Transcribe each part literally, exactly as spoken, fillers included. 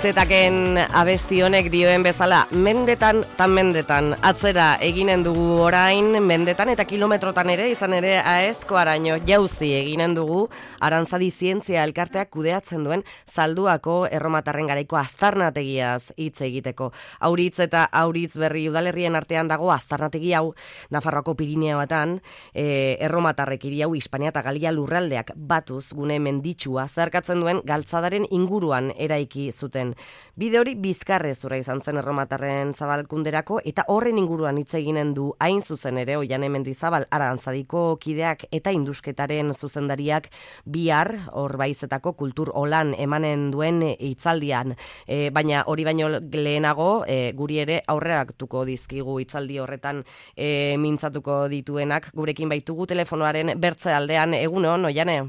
Zetaken abesti honek dioen bezala, mendetan tan mendetan, atzera eginen dugu orain, mendetan eta kilometrotan ere, izan ere aezko araño jauzi eginen dugu, Arantzadi Zientzia Elkarteak kudeatzen duen Zalduako erromatarren garaiko aztarnategiaz hitz egiteko. Auritz eta Auritz Berri udalerrien artean dago aztarnategi hau, Nafarroako Pirineoetan, e, erromatarrek hiri hau Hispania eta Galia lurraldeak batuz gune menditsua zeharkatzen duen galtzadaren inguruan eraiki zuten. Bide hori bizkarrezurra izan zen erromatarren zabalkunderako eta horren inguruan hitz eginen du hain zuzen ere Oiane Mendizabal Arantzadiko kideak eta indusketaren zuzendariak bihar Orbaizetako kultur olan emanen duen hitzaldian. E, baina hori baino lehenago e, guri ere aurreratuko dizkigu hitzaldi horretan e, mintzatuko dituenak. Gurekin baitugu telefonoaren bertze aldean. Egunon, Oiane?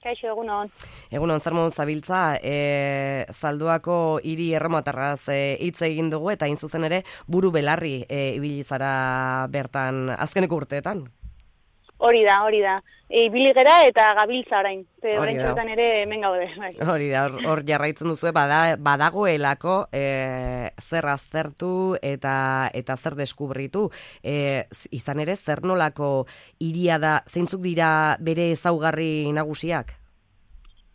Kaixo, egunon. Egunon, zer modu zabiltza, e, Zalduako hiri erromatarraz hitz e, egin dugu eta hain zuzen ere buru belarri e, ibili zara bertan azkeneko urteetan. Hori da, hori da. E, ibili gera eta gabiltza orain. Orain txotan ere hemen gaude. Bai. Hori da, hor, hor jarraitzen duzu, bada, badagoelako e, zer aztertu eta eta zer deskubritu. E, izan ere, zer nolako hiria da, zeintzuk dira bere ezaugarri nagusiak?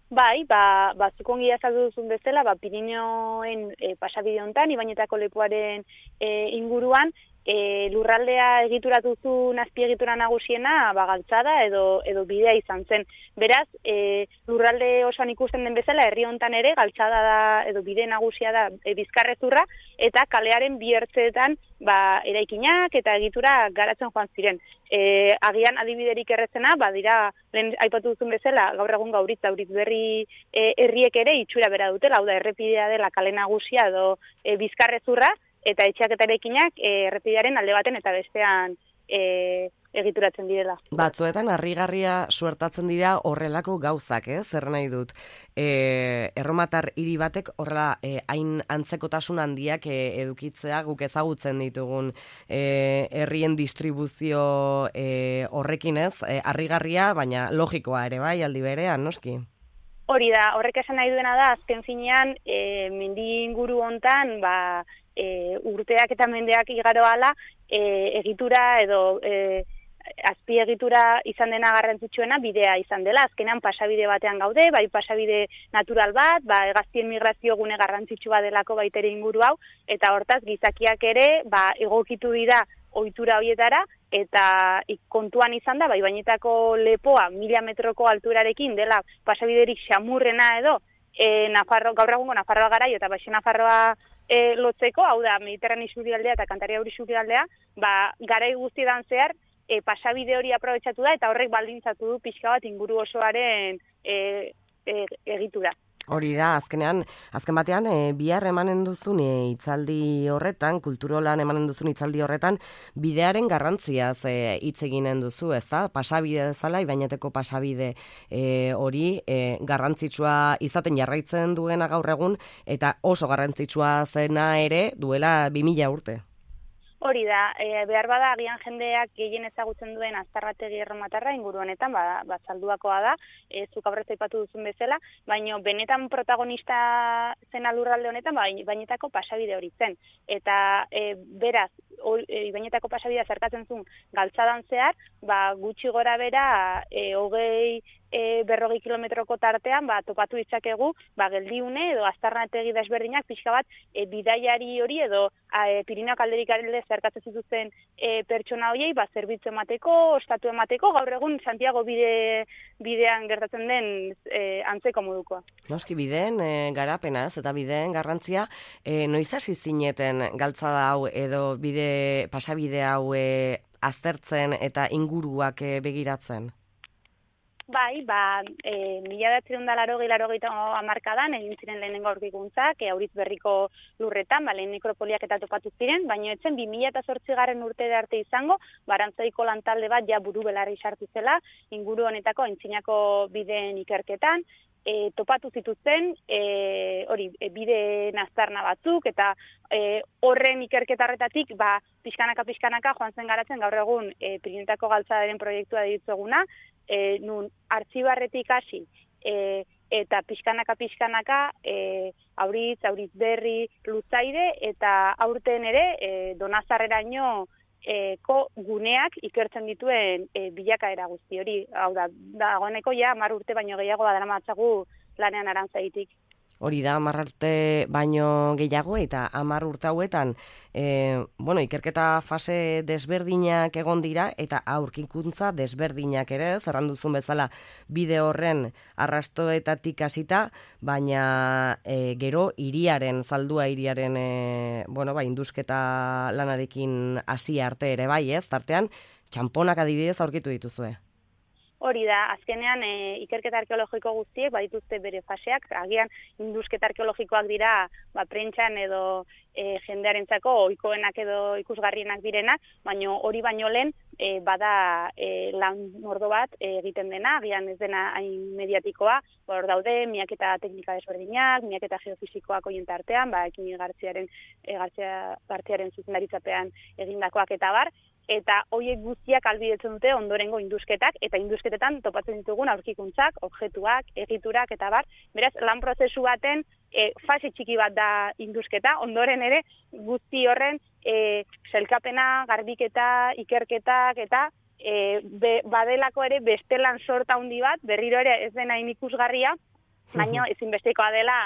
Bai, ba, ba zukongi azaldu duzun bezala, ba, Pirineoen e, pasabide hontan, Ibainetako lepoaren e, inguruan, E, lurraldea egituratu zuen azpiegitura nagusiena ba, galtzada edo, edo bidea izan zen. Beraz, e, lurralde osoan ikusten den bezala, herri hontan ere galtzada da edo bide nagusia da e, bizkarrezurra eta kalearen bi ertzeetan ba, eraikinak eta egitura garatzen joan ziren. E, agian adibiderik errezena, ba, dira, lehen aipatu duzun bezala, gaur egun Gauritz, Auritz Berri e, herriek ere itxura bera dutela, hau da, errepidea dela kale nagusia edo e, bizkarrezurra, eta etxeak eta eraikinak e, errepidearen alde baten eta bestean e, egituratzen direla. Batzuetan harrigarria suertatzen dira horrelako gauzak, eh? Zer nahi dut. E, erromatar hiri batek horrela e, hain antzekotasun handiak e, edukitzea guk ezagutzen ditugun e, herrien distribuzio e, horrekin ez, e, harrigarria, baina logikoa ere bai aldi berean, noski? Hori da, horrek esan nahi duena da, azken finean, e, mendi inguru hontan, ba, E, urteak eta mendeak igaro ala, e, egitura edo e, azpiegitura izan dena garrantzitsuena bidea izan dela. Azkenan pasabide batean gaude, bai pasabide natural bat, ba, hegaztien migrazio gune garrantzitsua delako baitere inguru hau, eta hortaz gizakiak ere ba, egokitu dira ohitura horietara, eta kontuan izan da, bai Ibainetako lepoa mila metroko alturarekin dela pasabiderik xamurrena edo, e, Nafarro, gaur egungo Nafarroa garaio eta Baixo Nafarroa E, lotzeko, hau da, Mediterrane isurialdea eta Kantaria isurialdea, ba, garai guztietan zehar, e, pasabide hori aprobetxatu da, eta horrek baldintzatu du pixka bat inguru osoaren e, e, egitura. Hori da, azkenean, azken batean, e, bihar emanen duzun e, hitzaldi horretan, kulturolan emanen duzun hitzaldi horretan, bidearen garrantziaz e, hitz eginen duzu, ez da? Pasabide bezala, Ibaineteko pasabide e, hori e, garrantzitsua izaten jarraitzen duena gaur egun, eta oso garrantzitsua zena ere duela bi mila urte. Hori da, e, behar bada agian jendeak gehien ezagutzen duen aztarrategi erromatarra inguru honetan, ba, ba Zalduakoa da, e, zuk aurrez aipatu duzun bezala, baina benetan protagonista zen lurralde honetan, ba, Ibainetako pasabide hori zen. Eta e, beraz, o, e, Ibainetako pasabidea zerkatzen zuen galtzadan zehar, ba, gutxi gora bera, e, hogei E, berrogei kilometroko tartean ba, topatu ditzakegu ba, geldiune edo aztarnategi desberdinak pixka bat e, bidaiari hori edo e, Pirineoak alderik alde zerkatzen zituzten e, pertsona horiei ba, zerbitzu emateko, ostatu emateko, gaur egun Santiago bide, bidean gertatzen den e, antzeko modukoa. Noski bideen e, garapena ez eta bideen garrantzia e, noiz hasi zineten galtzada hau edo bide pasabide hau e, aztertzen eta inguruak e, begiratzen? Bai, ba, e, mila bederatziehun eta laurogei laurogeita hamarkadan egin ziren lehenengo aurkikuntzak, e, Auritz Berriko lurretan, ba, lehen nekropoliak eta topatu ziren, baina etzen bi mila zortzigarren urte arte izango, Arantzadiko lantalde bat ja buru belarri sartu zela, inguru honetako aintzinako bideen ikerketan, e, topatu zituzten, e, hori, e, bide naztarna batzuk, eta e, horren ikerketarretatik, ba, pixkanaka-pixkanaka joan zen garatzen gaur egun e, Pirinetako galtzadaren proiektua ditueguna, e, nun artxibarretik hasi, e, eta pixkanaka pixkanaka e, auritz, auritz berri, lutzaide, eta aurten ere e, Donazarreraino eko guneak ikertzen dituen e, bilakaera guzti hori. Hau da, dagoeneko ja hamar urte baino gehiago badaramatzagu lanean Arantzaditik. Hori da, hamar urte baino gehiago eta hamar urte hauetan e, bueno, ikerketa fase desberdinak egon dira eta aurkikuntza desberdinak ere, zerran duzun bezala bide horren arrastoetatik hasita, baina e, gero hiriaren, zaldua hiriaren e, bueno, ba, indusketa lanarekin hasi arte ere bai, ez? Tartean, txamponak adibidez aurkitu dituzue. Hori da, azkenean e, ikerketa arkeologiko guztiek badituzte bere faseak, agian indusketa arkeologikoak dira ba, prentxan edo e, jendearentzako ohikoenak edo ikusgarrienak direnak, baina hori baino lehen e, bada e, lan mordo bat e, egiten dena, agian ez dena hain mediatikoa, hor daude miaketa teknika desberdinak, miaketa geofisikoak horien tartean, ba, Ekini Gartziaren, e, Gartzia, Gartziaren zuzendaritzapean egindakoak eta bar, eta hoiek guztiak albidetzen dute ondorengo indusketak, eta indusketetan topatzen ditugun aurkikuntzak, objektuak, egiturak, eta bar. Beraz, lan prozesu baten e, fase txiki bat da indusketa, ondoren ere guzti horren e, selkapena, garbiketa, ikerketak, eta e, be, badelako ere bestelan sorta handi bat, berriro ere ez dena ikusgarria, baina ezinbestekoa dela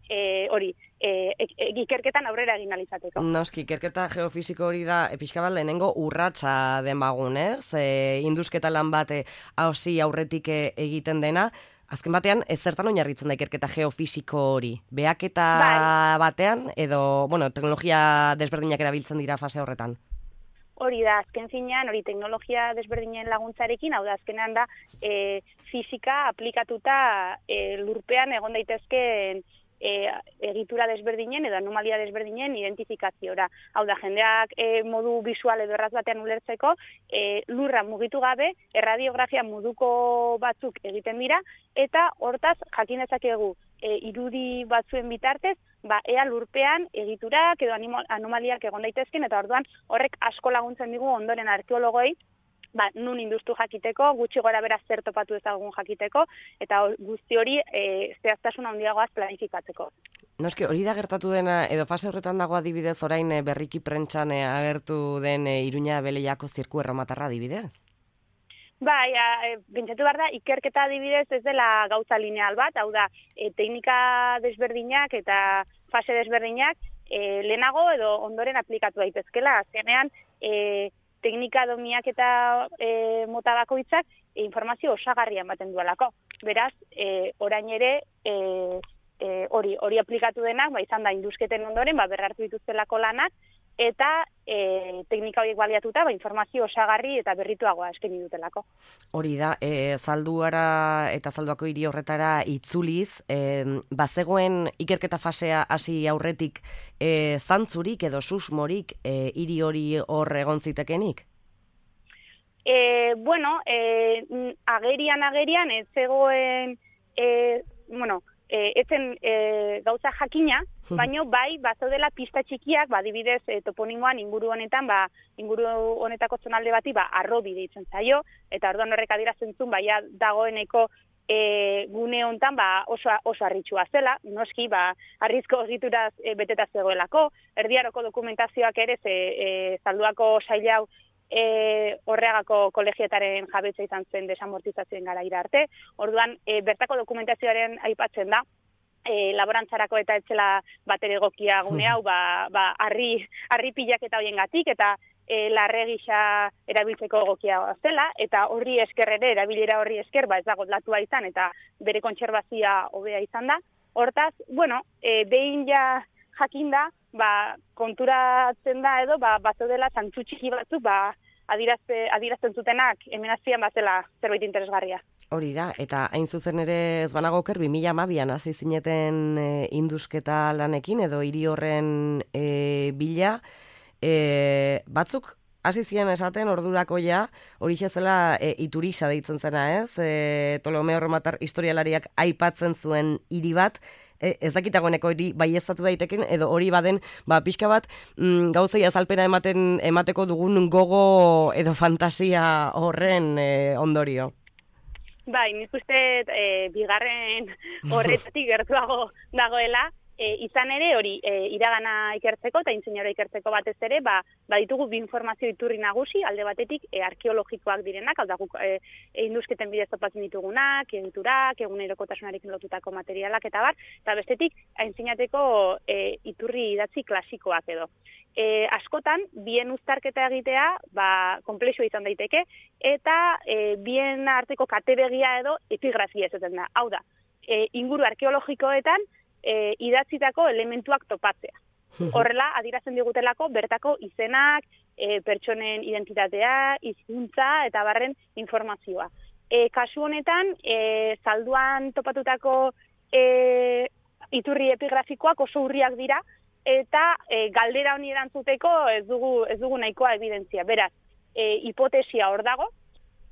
E, hori, e, e, ikerketan aurrera egin alizateko. Noski, ikerketa geofisiko hori da, pixka bat lehenengo urratsa den bagun, ez? E, indusketa lan bate hausi aurretik egiten dena, azken batean, ez zertan oinarritzen da ikerketa geofisiko hori? Behaketa bai. Batean, edo, bueno, teknologia desberdinak erabiltzen dira fase horretan? Hori da, azken finean, hori teknologia desberdinen laguntzarekin, hau da, azkenean da, e, fisika aplikatuta e, lurpean egon daitezkeen E, egitura desberdinen edo anomalia desberdinen identifikaziora. Hau da, jendeak e, modu visual edo erraz batean ulertzeko, e, lurra mugitu gabe, erradiografia moduko batzuk egiten dira, eta hortaz jakin dezakegu e, irudi batzuen bitartez, ba, ea lurpean egiturak edo anomaliak egon daitezken, eta orduan horrek asko laguntzen digu ondoren arkeologoi, ba, nun industu jakiteko, gutxi gora bera zer topatu ezagun jakiteko, eta guzti hori e, zehaztasun handiagoaz planifikatzeko. Noski, hori da gertatu dena, edo fase horretan dago adibidez orain e, berriki prentxan e, agertu den e, Iruña Beleiako zirku erromatarra adibidez? Bai, e, pentsatu behar da, ikerketa adibidez ez dela gauza lineal bat, hau da, e, teknika desberdinak eta fase desberdinak e, lehenago edo ondoren aplikatu daitezkela, azkenean, e, teknika domiak eta e, mota bakoitzak e, informazio osagarria ematen duelako. Beraz, e, orain ere e, e, hori hori aplikatu denak, ba, izan da indusketen ondoren, ba, berrartu dituztelako lanak, eta e, teknika horiek baliatuta ba, informazio osagarri eta berrituagoa eskaini dutelako. Hori da, e, zalduara eta zalduako hiri horretara itzuliz, e, bazegoen ikerketa fasea hasi aurretik e, zantzurik edo susmorik e, hiri hori hor egon zitekenik? E, bueno, e, agerian agerian ez zegoen, e, bueno, E, etzen e, gauza jakina, baino bai bazaudela pista txikiak, ba adibidez e, toponimoan inguru honetan, ba inguru honetako zonalde bati ba arrobi deitzen zaio, eta orduan horrek adierazten zuen baia dagoeneko e, gune hontan ba oso oso harritsua zela, noski ba harrizko egituraz e, beteta zegoelako, erdiaroko dokumentazioak ere ze e, zalduako sail hau E, horregako kolegietaren jabetza izan zen desamortizazioen garaira arte. Orduan, e, bertako dokumentazioaren aipatzen da, e, laborantzarako eta etzela batere egokia gune hau, ba, ba, arri, arri pilak eta hoiengatik, eta e, larre gisa erabiltzeko egokia zela, eta horri esker ere, erabilera horri esker, ba, ez dago latua izan, eta bere kontserbazioa hobea izan da. Hortaz, bueno, e, behin ja jakinda, ba, konturatzen da edo, ba, bazaudela zantzu txiki batzuk, ba, adirazte, adirazten zutenak hemen azpian bazela zerbait interesgarria. Hori da, eta hain zuzen ere ez banago oker, bi mila hamabian hasi zineten e, indusketa lanekin, edo hiri horren e, bila, e, batzuk hasi ziren esaten ordurako ja, hori zela e, Iturisa deitzen zena, ez? E, Ptolomeo Erromatar historialariak aipatzen zuen hiri bat, E, ez dakitagoeneko hori baieztatu daiteken, edo hori baden, ba, pixka bat, mm, gauzei azalpena ematen, emateko dugun gogo edo fantasia horren e, ondorio. Bai, nik uste e, bigarren horretatik gertuago dagoela, e, izan ere hori e, iragana ikertzeko eta intzinera ikertzeko batez ere, ba, baditugu bi informazio iturri nagusi, alde batetik e, arkeologikoak direnak, hau da guk e, indusketen bidez topatzen ditugunak, egiturak, egunerokotasunarekin lotutako materialak eta bar, eta bestetik aintzinateko e, iturri idatzi klasikoak edo. E, askotan, bien uztarketa egitea, ba, konplexua izan daiteke, eta e, bien arteko katebegia edo epigrafia esaten da. Hau da, e, inguru arkeologikoetan e, idatzitako elementuak topatzea. Horrela, adierazten digutelako bertako izenak, e, pertsonen identitatea, hizkuntza eta barren informazioa. E, kasu honetan, e, zalduan topatutako e, iturri epigrafikoak oso urriak dira, eta e, galdera honi erantzuteko ez dugu, ez dugu nahikoa evidentzia. Beraz, e, hipotesia hor dago,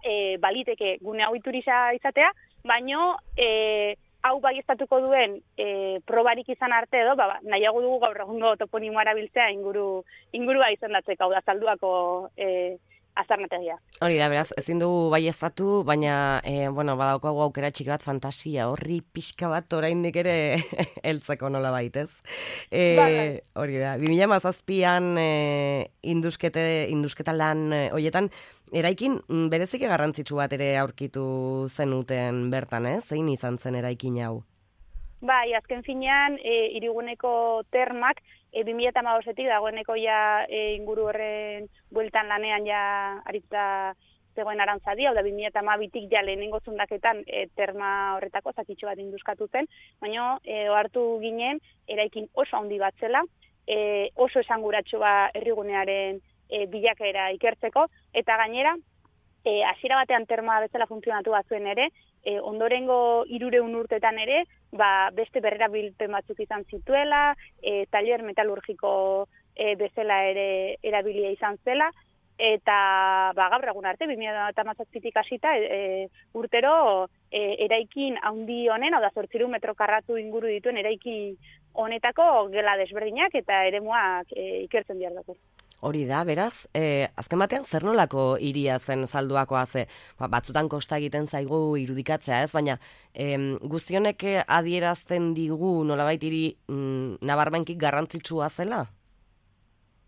e, baliteke gune hau iturria izatea, baino e, hau baieztatuko duen e, probarik izan arte edo, ba, nahiago dugu gaur egungo toponimoa erabiltzea inguru, ingurua izendatzeko, hau da zalduako e, azarnategia. Hori da, beraz, ezin dugu baieztatu, baina, e, bueno, badaukagu aukera txiki bat fantasia, horri pixka bat oraindik ere heltzeko nola baitez. E, hori da, bi mila hamazazpian e, induskete, indusketa lan e, hoietan, eraikin bereziki garrantzitsu bat ere aurkitu zenuten bertan, ez? Zein izan zen eraikin hau? Bai, azken finean, e, hiriguneko termak, e, bi mila hamabostetik dagoeneko ja e, inguru horren bueltan lanean ja aritza zegoen Arantzadi, hau da bi mila hamabitik ja lehenengo zundaketan e, terma horretako zakitxo bat induskatu zen, baina e, ohartu ginen eraikin oso handi bat zela, e, oso esanguratsua herrigunearen e, bilakaera ikertzeko, eta gainera, e, hasiera batean terma bezala funtzionatu batzuen ere, e, ondorengo hirureun urtetan ere, ba, beste berrerabilpen batzuk izan zituela, e, taller metalurgiko e, bezala ere erabilia izan zela, eta ba, gaur egun arte, bi mila hamazazpitik hasita, e, urtero e, eraikin handi honen, hau da zortziehun metro karratu inguru dituen eraikin honetako gela desberdinak eta eremuak e, ikertzen behar dugu. Hori da, beraz, eh, azken batean zer nolako hiria zen Zalduakoa ze, ba, batzutan kosta egiten zaigu irudikatzea, ez? Baina em, guztionek adierazten digu nolabait hiri mm, nabarmenkik garrantzitsua zela?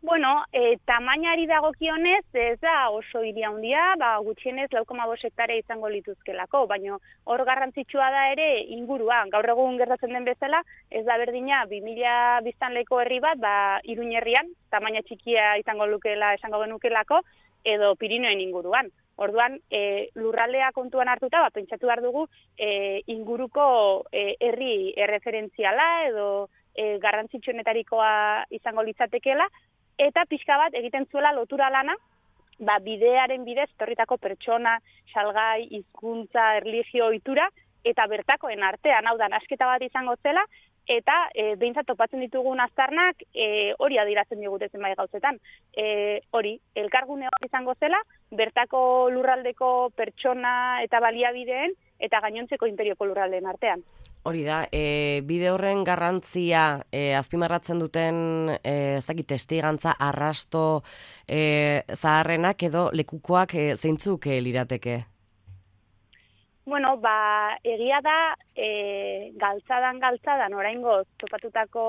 Bueno, e, tamainari dagokionez, ez da oso hiri handia, ba, gutxienez lau koma bost hektarea izango lituzkelako, baina hor garrantzitsua da ere inguruan. Gaur egun gertatzen den bezala, ez da berdina bi mila biztanleko herri bat, ba, Iruin herrian, tamaina txikia izango lukela, esango genukelako, edo Pirinioen inguruan. Orduan, e, lurraldea kontuan hartuta, ba, pentsatu behar dugu e, inguruko e, herri erreferentziala edo e, garrantzitsuenetarikoa izango litzatekeela, eta pixka bat egiten zuela lotura lana, ba, bidearen bidez, etorritako pertsona, salgai, hizkuntza, erlijio, ohitura, eta bertakoen artean, hau da, nasketa bat izango zela, eta e, behintzat topatzen ditugun aztarnak e, hori adierazten digute zenbait gauzetan. E, hori, elkargune hori izango zela, bertako lurraldeko pertsona eta baliabideen, eta gainontzeko imperioko lurraldeen artean. Hori da, e, bide horren garrantzia e, azpimarratzen duten e, ez dakit testigantza arrasto e, zaharrenak edo lekukoak e, zeintzuk e, lirateke? Bueno, ba, egia da e, galtzadan galtzadan oraingoz topatutako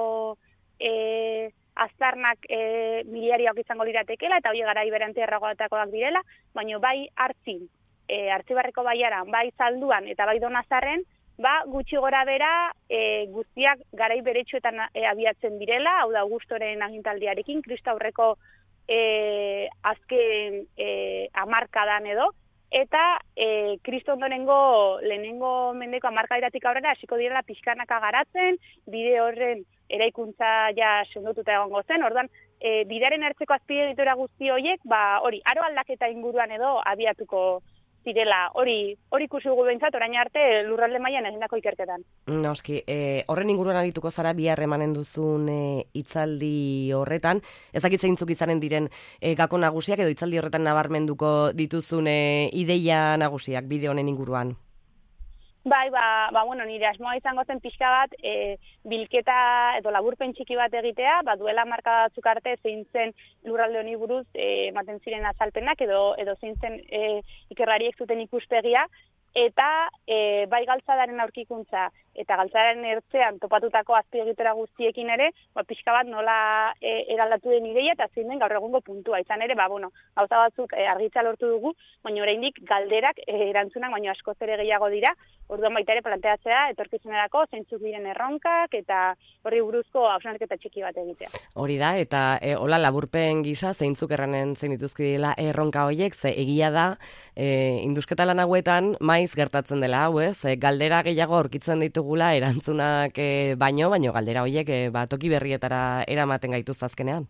e, aztarnak e, miliarioak izango liratekela eta hori garai beranti erragoatakoak direla, baina bai hartzin, e, Artzibarreko baiaran, bai Zalduan eta bai Donazarren, ba, gutxi gora bera e, guztiak garai beretsuetan e, abiatzen direla, hau da Augustoren agintaldiarekin, Kristo aurreko e, azken e, hamarkadan edo, eta e, Kristo ondorengo lehenengo mendeko hamarkadatik aurrera hasiko direla pixkanaka garatzen, bide horren eraikuntza ja sendotuta egongo zen, orduan e, bidearen ertzeko azpiegitura guzti horiek, ba, hori, aro aldaketa inguruan edo abiatuko zirela, hori hori ikusi dugu behintzat, orain arte lurralde mailan egindako ikerketan. Noski, e, horren inguruan arituko zara bihar emanen duzun e, hitzaldi horretan, ez dakit zeintzuk izanen diren e, gako nagusiak edo hitzaldi horretan nabarmenduko dituzun e, ideia nagusiak bide honen inguruan. Bai, ba, ba, bueno, nire asmoa izango zen pixka bat, e, bilketa edo laburpen txiki bat egitea, ba, duela marka batzuk arte zein zen lurralde honi buruz ematen e, ziren azalpenak edo edo zein zen e, ikerlariek zuten ikuspegia, eta e, bai galtzadaren aurkikuntza eta galtzadaren ertzean topatutako azpiegitura guztiekin ere, ba, pixka bat nola e, eraldatu den ideia eta zein den gaur egungo puntua. Izan ere, ba, bueno, gauza batzuk e, argitza lortu dugu, baina oraindik galderak e, erantzunak, baina askoz ere gehiago dira, orduan baita ere planteatzea etorkizunerako zeintzuk diren erronkak eta horri buruzko hausnarketa txiki bat egitea. Hori da, eta e, hola laburpen gisa zeintzuk erranen zein dituzkidela erronka horiek, ze egia da, e, indusketa lan hauetan maiz gertatzen dela hau, ez? E, galdera gehiago aurkitzen ditugula erantzunak e, baino, baino galdera horiek e, ba, toki berrietara eramaten gaituz azkenean.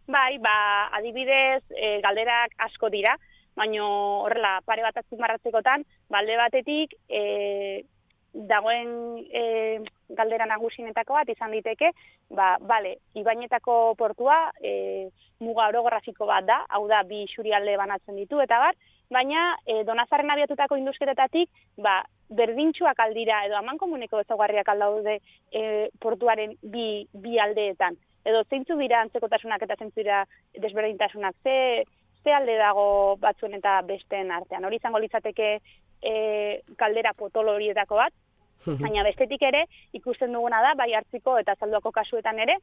Bai, ba, adibidez, e, galderak asko dira, baino horrela pare bat azpimarratzekotan, balde batetik e, dagoen e, galdera nagusinetako bat izan diteke, ba, bale, Ibainetako portua e, muga orografiko bat da, hau da bi isurialde banatzen ditu eta bar, baina e, Donazarren abiatutako indusketetatik, ba, berdintxuak aldira edo amankomuneko ezaugarriak aldaude e, portuaren bi, bi aldeetan. Edo zeintzu dira antzekotasunak eta zeintzu dira desberdintasunak, ze, ze alde dago batzuen eta besteen artean. Hori izango litzateke e, kaldera potolo horietako bat, baina bestetik ere ikusten duguna da, bai Hartziko eta Zalduako kasuetan ere,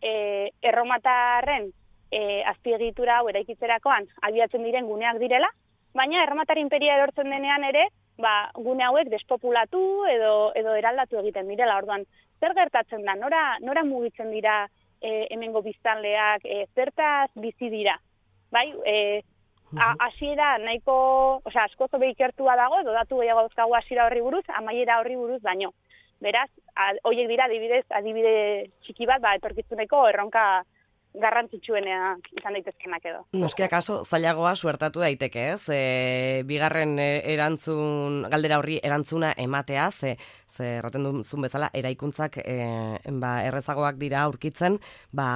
e, erromatarren e, azpiegitura hau eraikitzerakoan abiatzen diren guneak direla, baina erromatar imperia erortzen denean ere, ba, gune hauek despopulatu edo, edo eraldatu egiten direla. Orduan, zer gertatzen da, nora, nora mugitzen dira e, hemengo biztanleak, e, zertaz bizi dira? Bai, e, hasiera nahiko, osea, asko zobe ikertua dago, edo datu gehiago dauzkagu hasiera horri buruz, amaiera horri buruz baino. Beraz, horiek dira adibidez, adibide txiki bat, ba, etorkizuneko erronka garrantzitsuenea izan daitezkenak edo. Noski akaso zailagoa suertatu daiteke, ez? E, bigarren erantzun, galdera horri erantzuna ematea, ze, ze erraten duzun bezala, eraikuntzak e, ba, errezagoak dira aurkitzen, ba,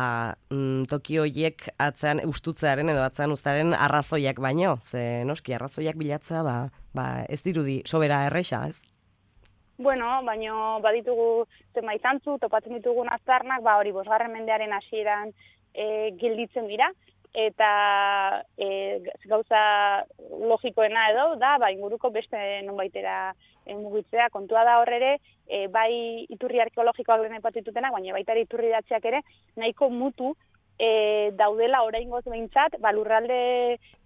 mm, toki horiek atzean ustutzearen edo atzean uztaren arrazoiak baino, ze noski arrazoiak bilatzea, ba, ba, ez dirudi sobera erresa, ez? Bueno, baino baditugu zenbaitantzu, topatzen ditugun aztarnak, ba hori bosgarren mendearen hasieran e, gelditzen dira, eta e, gauza logikoena edo da, ba, inguruko beste nonbaitera e, mugitzea, kontua da horrere, e, bai iturri arkeologikoak lehen aipatitutenak, baina baita ere iturri datziak ere, nahiko mutu e, daudela oraingoz behintzat, ba, lurralde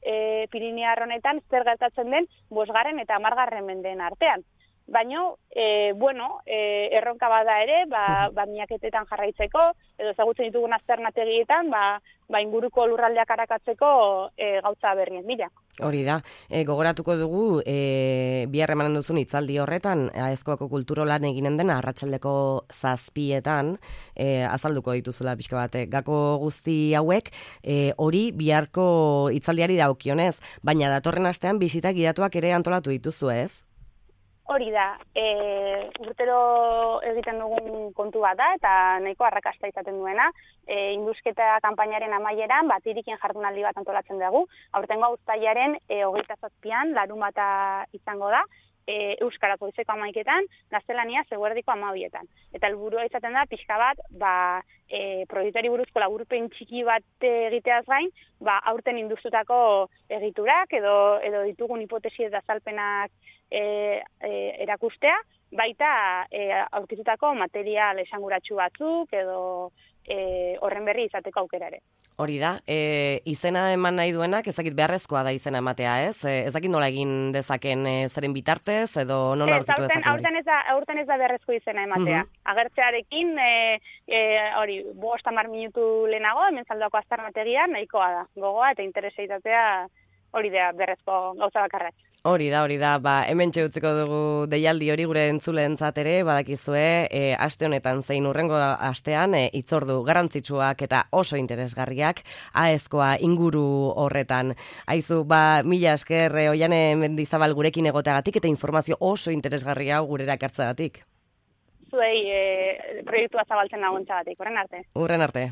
e, Pirinear honetan zer gertatzen den bosgarren eta hamargarren mendeen artean. Baina, e, bueno, e, erronka bada ere, ba, ba miaketetan jarraitzeko, edo ezagutzen ditugun azternategietan, ba, ba inguruko lurraldeak arakatzeko e, gauza berrien bila. Hori da, e, gogoratuko dugu, e, bihar emanen duzun hitzaldi horretan, Aezkoako kulturolan eginen dena, arratsaldeko zazpietan, e, azalduko dituzula pixka bat, gako guzti hauek, e, hori biharko hitzaldiari daukionez, baina datorren astean bisita gidatuak ere antolatu dituzu, ez? Hori da, e, urtero egiten dugun kontu bat da, eta nahiko arrakasta izaten duena, e, indusketa kanpainaren amaieran, bat irikin jardunaldi bat antolatzen dugu, aurtengo uztailaren e, hogeita zazpian, larunbata izango da, e, euskaraz goizeko hamaiketan, gaztelania eguerdiko hamabietan. Eta helburua izaten da, pixka bat, ba, e, proiektuari buruzko laburpen txiki bat egiteaz gain, ba, aurten industutako egiturak, edo, edo ditugun hipotesi eta azalpenak E, e, erakustea, baita e, aurkitutako material esanguratsu batzuk edo e, horren berri izateko aukera ere. Hori da, e, izena eman nahi duenak, ezakit beharrezkoa da izena ematea, ez? E, ezakit nola egin dezaken e, zeren bitartez edo non aurkitu dezaken hori? Aurten ez da, aurten ez da beharrezko izena ematea. Uh-huh. Agertzearekin, e, e, hori, bost hamar minutu lehenago, hemen Zalduako aztarnategian, nahikoa da. Gogoa eta intereseitatea hori da beharrezko gauza bakarrak. Hori da, hori da, ba, hemen txeutziko dugu deialdi hori gure entzuleentzat ere, badakizue, e, aste honetan zein urrengo astean, e, itzordu garrantzitsuak eta oso interesgarriak, Aezkoa inguru horretan. Aizu, ba, mila esker, e, Oiane Mendizabal gurekin egoteagatik eta informazio oso interesgarria gurera ekartzeagatik. Zuei, e, proiektua zabaltzen nagoentzagatik, horren arte. Urren arte.